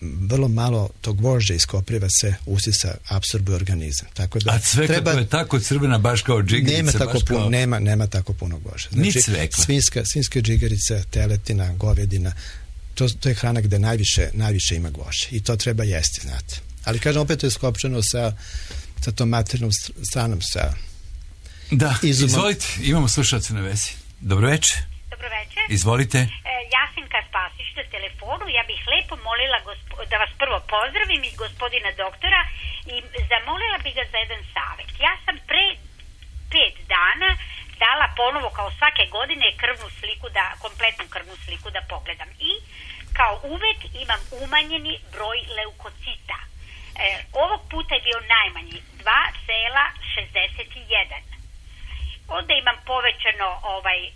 vrlo malo tog gvožđa iz kopriva se usisa, apsorbuje organizam. Tako da a cvekla treba, to je tako crvena baš kao džigerica? Nema tako, kao... puno, nema, nema tako puno gvožđa. Znači, ni cvekla? Svinjska, svinjska džigerica, teletina, govedina, to, to je hrana gde najviše, najviše ima gvožđa. I to treba jesti, znate. Ali kažem, opet to je skopčano sa, sa tom maternom stranom, sa da, izumom. Izvolite, imamo slušalce na vezi. Dobro večer. Dobro večer. Izvolite. E, Jasinka Spasić na telefonu. Ja bih lepo molila gospo, da vas prvo pozdravim i gospodina doktora i zamolila bih ga za jedan savjet. Ja sam pre pet dana dala ponovo kao svake godine krvnu sliku, da kompletnu krvnu sliku da pogledam. I kao uvek imam umanjeni broj leukocita. E, ovog puta je bio najmanji, dva zarez šezdeset jedan. Onda imam povećano ovaj, e,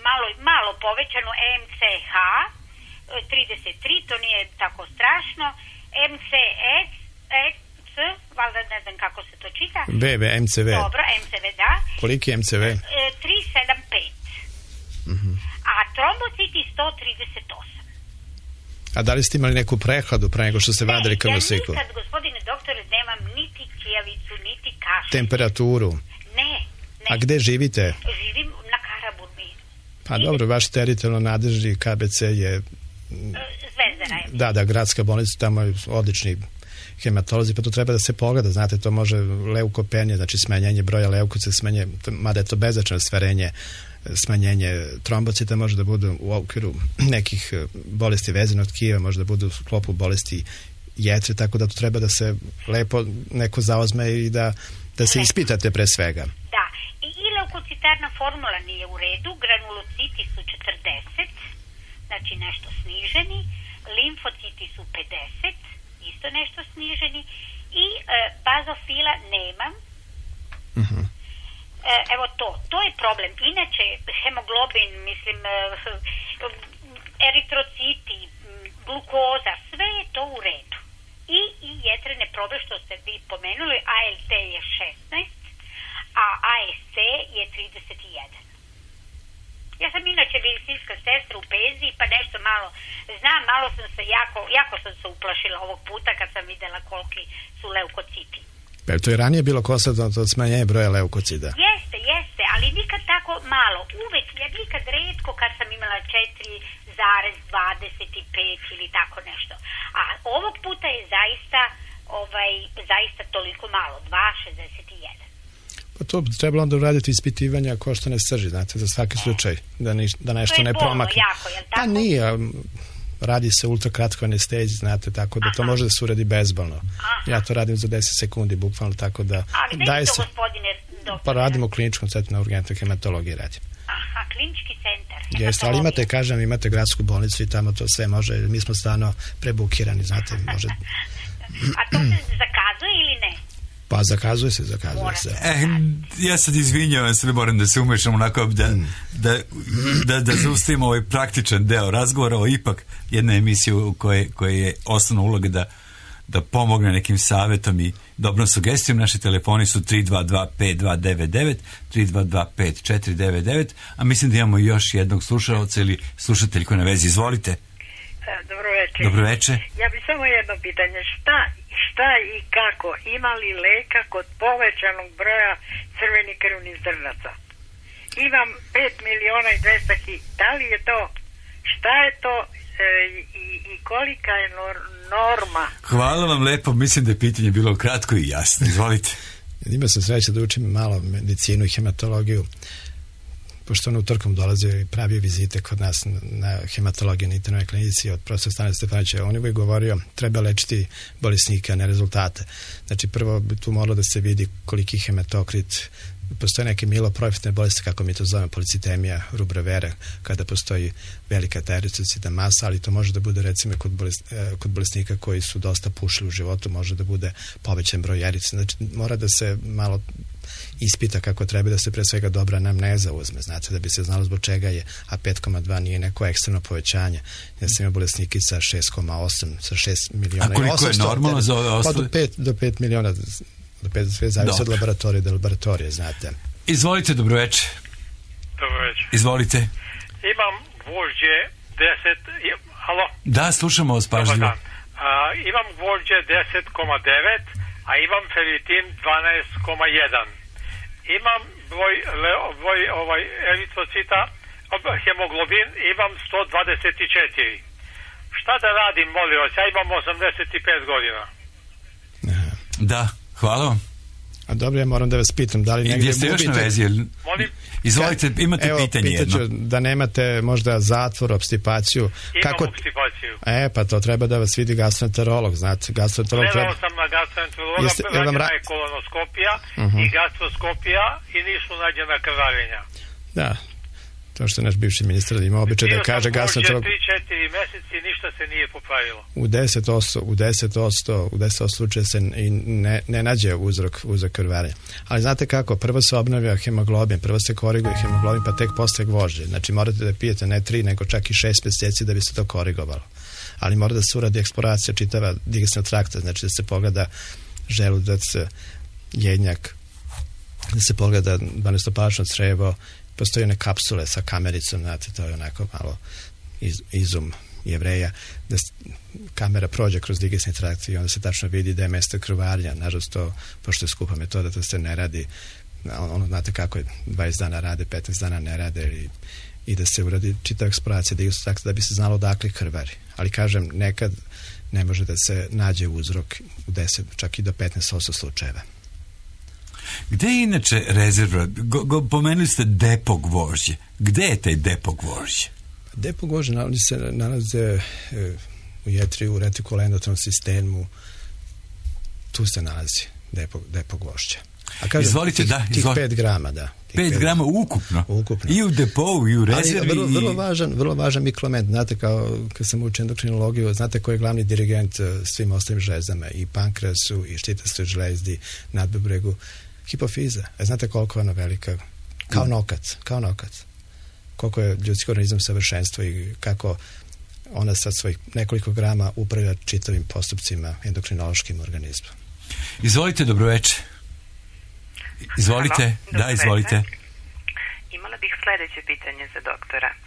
malo, malo povećano M C H trideset tri, to nije tako strašno, M C S, C, valjda ne znam kako se to čita. B, B, M C V. Dobro, M C V, da. Koliki je M C V? E, tri sedam pet. Uh-huh. A trombociti sto trideset osam. A da li ste imali neku prehladu pre nego što ste vadili krvnu sliku? Ja nikad, gospodine doktore, nemam niti kijavicu, niti kašalj. Temperaturu? Ne, ne. A gde živite? Živim na Karaburmi. Pa I... dobro, vaš teritorijalno nadležni K B C je... Zvezdara je. Da, da, gradska bolnica, tamo je odlični hematolozi, pa to treba da se pogleda, znate, to može leukopenija, znači smanjenje broja leukocita, smanjenje, mada je to beznačajno stvarenje, smanjenje trombocita, može da budu u okviru nekih bolesti vezenog tkiva, može da budu u sklopu bolesti jetre, tako da to treba da se lepo neko zaozme i da, da se ispitate pre svega. Da, i, i leukocitarna formula nije u redu, granulociti su četrdeset, znači nešto sniženi, limfociti su pedeset, isto nešto sniženi, i e, bazofila nemam. Uh-huh. E, evo to, to je problem. Inače, hemoglobin, mislim, e, eritrociti, glukoza, sve je to u redu. I, i jetrene probe, što ste vi pomenuli, A L T je šesnaest, a A S C je trideset jedan. Ja sam inače medicinska sestra u penziji, pa nešto malo znam, malo sam se jako, jako sam se uplašila ovog puta kad sam videla koliki su leukociti. Pa to je ranije bilo konstatovano od smanjenja broja leukocida? Jeste, jeste, ali nikad tako malo. Uvek, ja nikad retko kad sam imala četiri zarez dvadeset pet ili tako nešto. A ovog puta je zaista, ovaj, zaista toliko malo, dva zarez šezdeset jedan. Pa to trebalo onda uraditi ispitivanja ko što ne srži, znate, za svaki slučaj, da, ni, da nešto ne promakne. To je bolno jako, jel tako? Pa nije, radi se ultrakratkoj anesteziji, znate, tako da Aha. to može da se uradi bezbolno. Aha. Ja to radim za deset sekundi, bukvalno, tako da... Ali gde je to, se, gospodine doktor? Pa radimo u kliničkom centru na urgentnoj hematologiji radim. Aha, klinički centar. Jeste, ali imate, kažem, imate gradsku bolnicu i tamo to sve može, mi smo stvarno prebukirani, znate, može... A to se zakazuje ili ne? Pa zakazuje se, zakazuje se. E, ja sad izvinjavam se, moram da se umešam onako da, da, da, da zaustavimo ovaj praktičan deo razgovora o ipak jedna emisija u kojoj koje je osnovna uloga da, da pomogne nekim savjetom i dobrom sugestijom. Naši telefoni su tri dva dva pet dva devet devet, tri dva dva pet četiri devet devet, a mislim da imamo još jednog slušalca ili slušateljku na vezi. Izvolite. Dobro večer. Dobro večer. Ja bi samo jedno pitanje. Šta, šta i kako? Ima li leka kod povećanog broja crvenih krvnih zrnaca? Imam pet miliona i dvesta hiljada. Da li je to? Šta je to e, i, i kolika je nor, norma? Hvala vam lepo. Mislim da je pitanje bilo kratko i jasno. Izvolite. Imao sam sreće da učim malo medicinu i hematologiju. Pošto on utorkom dolazio i pravio vizite kod nas na hematologiji na internoj klinici od profesora Stana Stefanića, on je govorio treba lečiti bolesnika, ne rezultate. Znači prvo bi tu moralo da se vidi koliki hematokrit, postoje neke miloprofitne bolesti, kako mi to zovemo, policitemija, rubra vera, kada postoji velika ta eritrocitna masa, ali to može da bude recimo kod, bolest, kod bolesnika koji su dosta pušili u životu, može da bude povećan broj erice. Znači mora da se malo ispita kako treba, da se pre svega dobra anamneza uzme, znate, da bi se znalo zbog čega je, a pet zarez dva nije neko ekstremno povećanje. Ja sam imao bolesniki sa šest zarez osam, sa šest miliona. A koliko je normalno za ove ostale? Pa do pet, do pet miliona, do pet, sve zavisi od laboratorije do laboratorije, znate. Izvolite, dobroveče. Dobroveče. Izvolite. Imam gvožđe deset, halo? Da, slušamo vas pažljivo. A, imam gvožđe deset zarez devet, a imam feritin dvanaest zarez jedan. Imam broj, broj ovaj, eritrocita, hemoglobin, imam sto dvadeset četiri. Šta da radim, molim vas? Ja imam osamdeset pet godina. Da, hvala vam. A dobro, ja moram da vas pitam, da li negdje gubite... Jeste još na vezi? Molim? Izvolite, imate Evo, pitanje jedno. Evo, da nemate možda zatvor, obstipaciju. Imam Kako... obstipaciju. E, pa to treba da vas vidi gastroenterolog, znate. Gastroenterolog Gledao treba... sam na gastroenterologa, Jeste, rađena ra... je kolonoskopija uh-huh. i gastroskopija i nisu nađena krvarenja. Da. To što je naš bivši ministar imao običaj da kaže gastroenterolog. tri četiri meseci i ništa se nije popravilo. U deset posto, u deset posto, u deset posto slučaja se i ne, ne nađe uzrok, uzrok krvarenja. Ali znate kako, prvo se obnavlja hemoglobin, prvo se koriguje hemoglobin, pa tek posle gvožđe. Znači morate da pijete ne tri, nego čak i šest mjeseci da bi se to korigovalo. Ali mora da se uradi eksploracija čitava digestivnog trakta, znači da se pogleda želudac, jednjak, da se pogleda dvanaestopačno crevo, postoje one kapsule sa kamericom, znate, to je onako malo iz, izum Jevreja, da kamera prođe kroz digestivni trakt i onda se tačno vidi da je mesto krvarenja. Nažalost, to, pošto je skupa metoda, to se ne radi, ono, znate kako je, dvadeset dana rade, petnaest dana ne rade i, i da se uradi čitava eksploracija digestivnog trakta da bi se znalo odakle krvari. Ali kažem, nekad ne može da se nađe uzrok u deset, čak i do petnaest posto slučajeva. Gde je inače rezerva? Go, go, pomenuli ste depo gvožđe. Gde je taj depo gvožđe? Depo gvožđe nalazi se nalaze e, u jetri, u retikuloendotrom sistemu. Tu se nalazi depo, depo gvožđe. A kažem, izvolite, tih, da. Tih izvolite. pet grama, da. Pet grama ukupno? Ukupno. I u depovu, i u rezervi. Ali vrlo, vrlo, važan, vrlo važan mikroelement. Znate, kao kad sam učio endokrinologiju, znate ko je glavni dirigent svim ostalim žlezama, i pankreasu, i štitastoj žlezdi, nadbubregu, hipofiza. E, znate koliko je ona velika? Kao nokac, kao nokac. Koliko je ljudski organizam savršenstvo i kako ona sad svojih nekoliko grama upravlja čitavim postupcima endokrinološkim organizmom. Izvolite, dobroveče. Izvolite, Halo, da, izvolite. Imala bih sljedeće pitanje za doktora. Uh,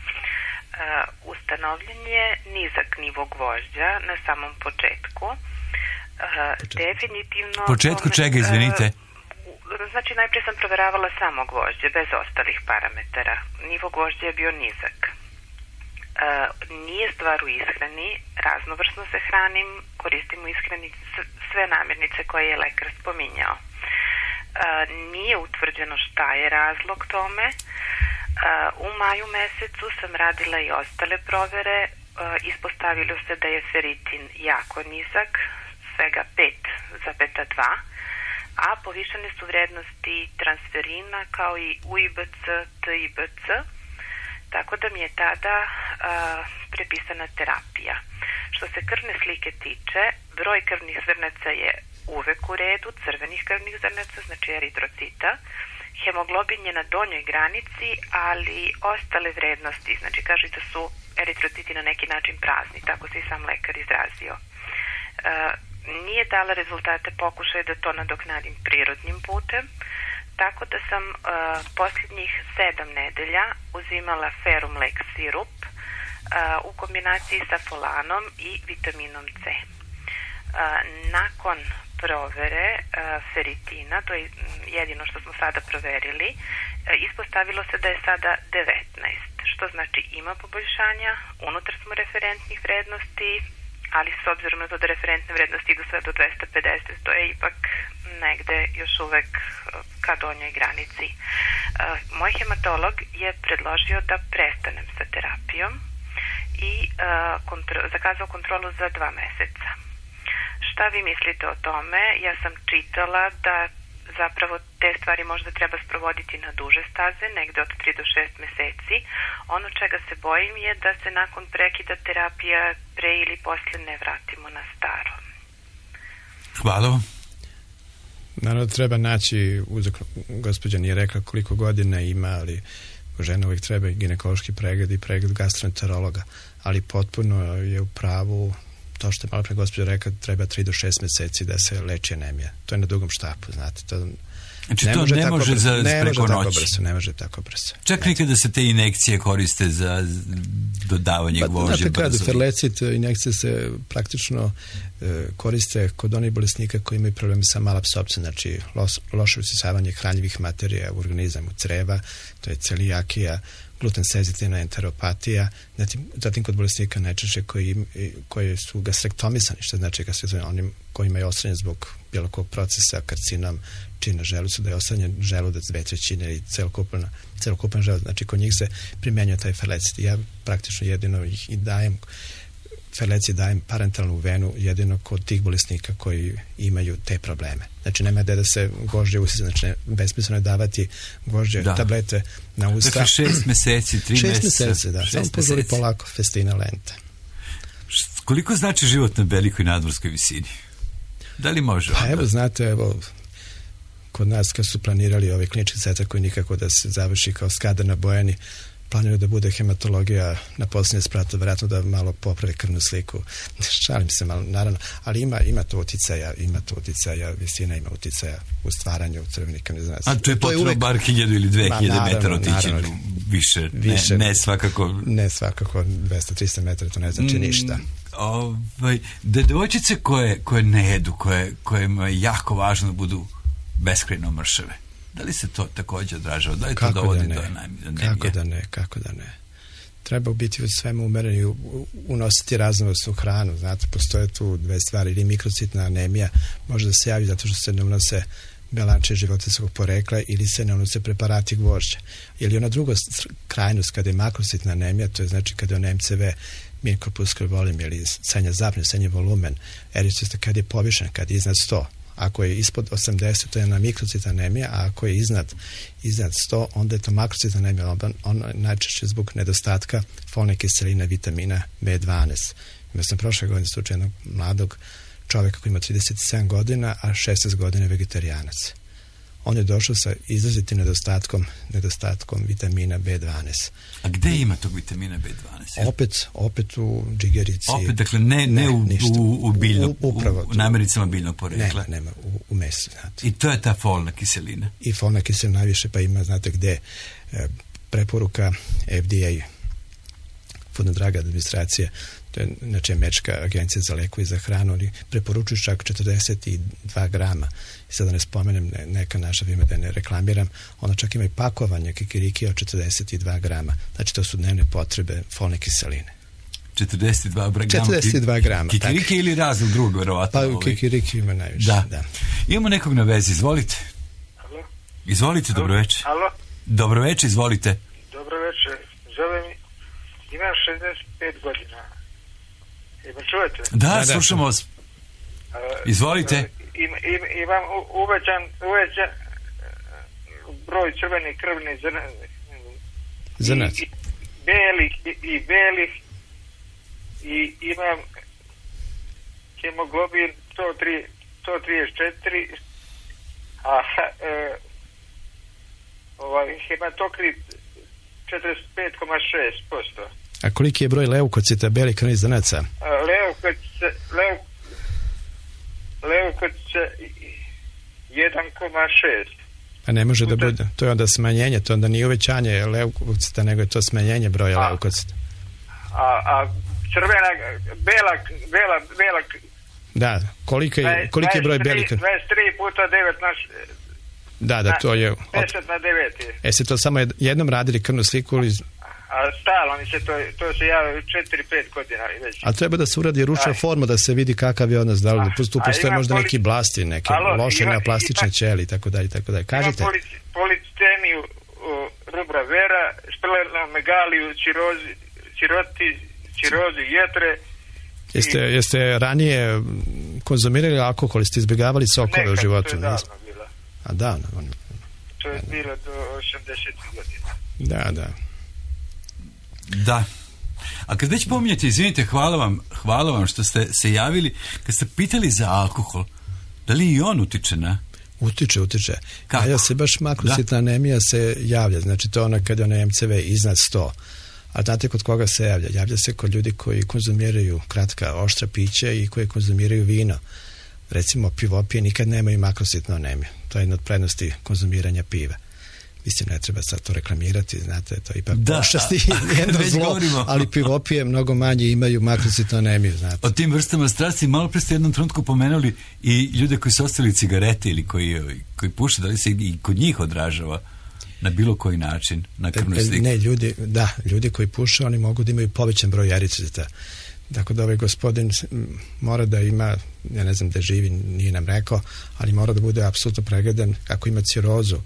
ustanovljen je nizak nivo gvožđa na samom početku. Uh, definitivno... Početku čega, izvinite? Uh, znači, najprije sam provjeravala samo gvožđe, bez ostalih parametara. Nivo gvožđa je bio nizak. Uh, nije stvar u ishrani, raznovrsno se hranim, koristim u ishrani sve namirnice koje je lekar spominjao. Uh, nije utvrđeno šta je razlog tome. Uh, u maju mesecu sam radila i ostale provere. Uh, ispostavilo se da je feritin jako nizak, svega pet zarez dva, a povišene su vrednosti transferina kao i U I B C, T I B C, tako da mi je tada uh, prepisana terapija. Što se krvne slike tiče, broj krvnih zrnaca je uvek u redu, crvenih krvnih zrnaca, znači eritrocita. Hemoglobin je na donjoj granici, ali ostale vrednosti, znači kaže da su eritrociti na neki način prazni, tako se i sam lekar izrazio. E, nije dala rezultate pokušaja da to nadoknadim prirodnim putem, tako da sam e, posljednjih sedam nedelja uzimala Ferum Lex sirup e, u kombinaciji sa folanom i vitaminom C. E, nakon provere uh, feritina, to je jedino što smo sada proverili, uh, ispostavilo se da je sada devetnaest, što znači ima poboljšanja, unutar smo referentnih vrednosti, ali s obzirom na to da referentne vrednosti idu sve do dvesta pedeset, to je ipak negde još uvek uh, ka donjoj granici. Uh, moj hematolog je predložio da prestanem sa terapijom i uh, kontro- zakazao kontrolu za dva meseca. Šta vi mislite o tome? Ja sam čitala da zapravo te stvari možda treba sprovoditi na duže staze, negde od tri do šest meseci. Ono čega se bojim je da se nakon prekida terapija pre ili posle ne vratimo na staro. Hvala vam. Naravno, treba naći uzrok. Gospođa nije rekla koliko godina ima, ali žena uvijek treba i ginekološki pregled i pregled gastroenterologa, ali potpuno je u pravu to što je malo pre gospođa rekla, treba tri do šest meseci da se leči anemija. To je na dugom štapu, znate. To znači ne to može ne tako može brzo, za ne preko može noći. Tako brzo, ne može tako brzo. Čak nekada se te injekcije koriste za dodavanje pa, gvožđe. Znate kada, ferlecit injekcije se praktično e, koriste kod onih bolesnika koji imaju problemi sa malapsopcijom, znači los, loše usisavanje hranjivih materija u organizam, u creva, to je celijakija, gluten senzitivna enteropatija, zatim, zatim kod bolesnika najčešće koji, koji su gastrektomisani, što znači gastrektomisani, onim kojima je ostranjen zbog bilo kog procesa, karcinom, čina želucu, da je ostranjen želudac dve trećine i celokupan, celokupan želudac, znači kod njih se primenjuje taj ferlecit. Ja praktično jedino ih i dajem Ferleci dajem parentalnu venu jedino kod tih bolesnika koji imaju te probleme. Znači nema gde da se gvožđe usisa, znači ne, besmisleno je davati gvožđe da. tablete na usta. Dakle šest meseci, tri šest meseca. Šest meseci, da. Samo požuri polako, festina lenta. Koliko znači život na velikoj nadmorskoj visini? Da li može? Pa evo, znate, evo, kod nas kad su planirali ovaj klinički centar koji nikako da se završi kao Skadar na Bojani, planiraju da bude hematologija na posljednje spratu, vjerojatno da malo popravi krvnu sliku. Šalim se malo, naravno, ali ima, ima to uticaja, ima to uticaja, visina ima uticaja u stvaranju crvenih krvnih zrnaca. A to je potrebno uvek... bar hiljadu ili dve hiljade metara otići više, više ne, ne svakako... Ne svakako, dvesta do trista metara, to ne znači mm, ništa. Ovaj, da devojčice koje, koje ne jedu, koje, kojima je jako važno da budu beskrajno mršave, da li se to također odražava? Da li to dovodi do anemije? Kako da ne, kako da ne. Treba biti u svemu umeren i unositi raznovrsnu hranu. Znate, postoje tu dve stvari, ili mikrocitna anemija može da se javi zato što se ne unose belanče životinjskog porekla ili se ne unose preparati gvožđa. Ili ona druga krajnost kada je makrocitna anemija, to je znači kada je on M C V, mean corpuscular volume, ili srednja zapne, srednji volumen, eritrocita kad je povišen, kad je iznad sto. Ako je ispod osamdeset, to je na mikrocitna anemija, a ako je iznad, iznad sto, onda je to makrocitna anemija. On, on najčešće zbog nedostatka folne kiseline, vitamina B dvanaest. Imao sam prošle godine slučaj jednog mladog čovjeka koji ima trideset sedam godina, a šesnaest godina vegetarijanac. On je došao sa izrazitim nedostatkom, nedostatkom vitamina B dvanaest. A gde ima tog vitamina B dvanaest? Opet, opet u džigerici. Opet, dakle, ne, ne, ne u, u, u, biljno, u, upravo, u namirnicama biljnog porekla. Ne, nema, u, u mesu, znate. I to je ta folna kiselina. I folna kiselina najviše, pa ima, znate gde, e, preporuka F D A, Food and Drug administracije, to je znači Američka agencija za lekove i za hranu, oni preporučuju čak četrdeset dva grama. I sad da ne spomenem ne, neka naša ime da ne reklamiram, ona čak ima i pakovanje kikiriki od četrdeset dva grama. Znači to su dnevne potrebe folne kiseline. četrdeset dva grama? četrdeset dva grama. Kikiriki tak. Ili razlog drugog, verovatno? Pa u kikiriki ima najviše, da. da. Imamo nekog na vezi, izvolite. Halo? Izvolite, dobro večer. Halo? Dobro večer, izvolite. Dobro večer, zovem, imam šezdeset pet godina. Ima čujete? Da, da, slušamo vas. Izvolite. Im, im, imam uvećan, uvećan broj crvenih krvnih zrnaca. I, i belih i, i belih i imam hemoglobin sto trideset četiri, a e, ovaj hematokrit četrdeset pet zarez šest posto. A koliki je broj leukocita, belih krvnih zrnaca? Leukocice, leuk, leukocice jedan zarez šest. A ne može da bude, to je onda smanjenje, to onda nije uvećanje leukocita, nego je to smanjenje broja a, leukocita. A, a crvena, bela, bela, bela... Da, koliki je, koliki je broj belih krvnih? dvadeset tri puta devet na... Da, da, to je... deset na devet. E se to samo jednom radili krvnu sliku ili... A stalno, se to, to se javio četiri pet godina već. A treba da se uradi ručna forma, da se vidi kakav je odnos, da li tu postoje možda neki blasti, neke alo, loše ima, neoplastične ima, ćeli, tako dalje, tako dalje. Kažete? Imam policitemiju, rubra vera, splenomegaliju, cirozi, ciroti, cirozi jetre. Jeste, i... jeste ranije konzumirali alkohol, jeste izbjegavali sokove u životu? To je davno bilo. A davno? On... To je bilo do osamdesetih godina. Da, da. Da. A kad već pominjete, izvinite, hvala vam, hvala vam što ste se javili, kad ste pitali za alkohol, da li i on utiče na? Utiče, utiče. Kako? A ja se baš makrocitna anemija se javlja, znači to je ona kad je ona M C V iznad sto. A znate kod koga se javlja? Javlja se kod ljudi koji konzumiraju kratka, oštra pića i koji konzumiraju vino. Recimo, pivopije nikad nemaju makrocitnu anemiju. To je jedna od prednosti konzumiranja piva. Mislim, ne treba sad to reklamirati, znate, to je ipak da, pošasti jedno zlo, govorimo. Ali pivopije mnogo manje imaju makrocitnu anemiju, znate. O tim vrstama strasti malo pre ste jednom trenutku pomenuli i ljude koji su ostali cigarete ili koji, koji puše, da li se i kod njih odražava na bilo koji način, na krvnoj slici? Ne, ljudi, da, ljudi koji puše, oni mogu da imaju povećan broj eritrocita. Dakle, da ovaj gospodin mora da ima, ja ne znam da živi, nije nam rekao, ali mora da bude apsolutno pregledan ako ima cirozu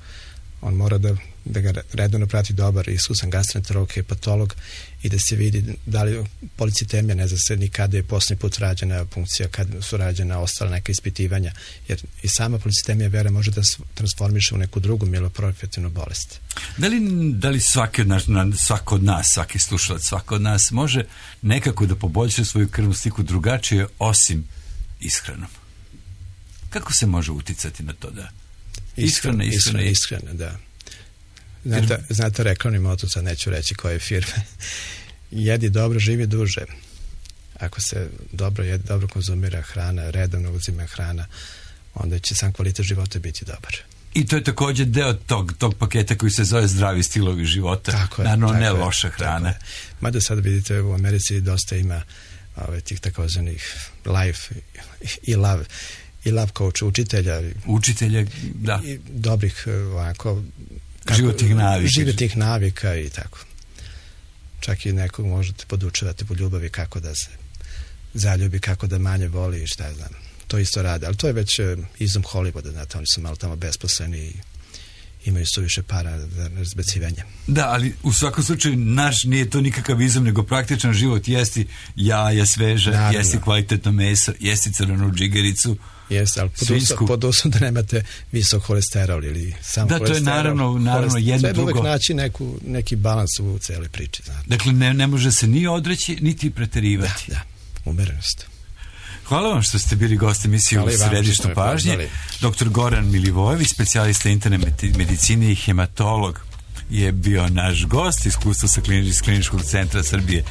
On mora da, da ga redovno prati dobar iskusan gastroenterolog, hepatolog i da se vidi da li policitemija, ne zna se ni kada je posljednji put rađena punkcija, kad su rađena ostala neka ispitivanja, jer i sama policitemija vera može da se transformiše u neku drugu mieloproliferativnu bolest. Da li, da li svaki od nas, svako od nas, svaki slušalac, svako od nas može nekako da poboljša svoju krvnu sliku drugačije osim ishranom? Kako se može uticati na to da ishrana, ishrana, ishrana, ishrana, da. Znate, znate reklamni moto, sad neću reći koje firme. Jedi dobro, živi duže. Ako se dobro jedi, dobro konzumira hrana, redovno uzima hrana, onda će sam kvalitet života biti dobar. I to je također deo tog, tog paketa koji se zove zdravi stilovi života. Tako je. Naravno, tako ne je, loša hrana. Mada sad vidite, u Americi dosta ima ove, tih takozvanih life i love i love coach, učitelja. Učitelja, da. I dobrih ovako kako, životnih navika. Životnih navika i tako. Čak i nekog možete podučavati po ljubavi kako da se zaljubi, kako da manje voli i šta ja znam. To isto rade, ali to je već izum Hollywooda, znate, oni su malo tamo besposleni i imaju suviše para za razbacivanje. Da, ali u svakom slučaju naš nije to nikakav izum, nego praktičan život. Jesti jaja sveža, naravno, jesti kvalitetno meso, jesti crvenu džigericu. Jeste, ali pod uslovom da nemate visok holesterol ili sam da, holesterol. Da, to je naravno, naravno jedno treba drugo. Treba uvek naći neku, neki balans u cijeloj priči. Znate. Dakle, ne, ne može se ni odreći, niti preterivati. Da, da, umerenost. Hvala vam što ste bili gosti emisije u Središtu pažnje. Doktor Goran Milivojević, specijalista interne medicine i hematolog, je bio naš gost. Iskustvo sa klinič, kliničkog centra Srbije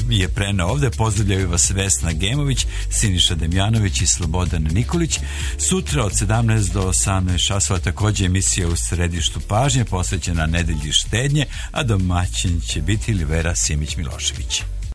je preneo ovde. Pozdravljaju vas Vesna Gemović, Siniša Demjanović i Slobodan Nikolić. Sutra od sedamnaest do osamnaest časova također emisija u Središtu pažnje posvećena nedelji štednje, a domaćin će biti Livera Simić Milošević.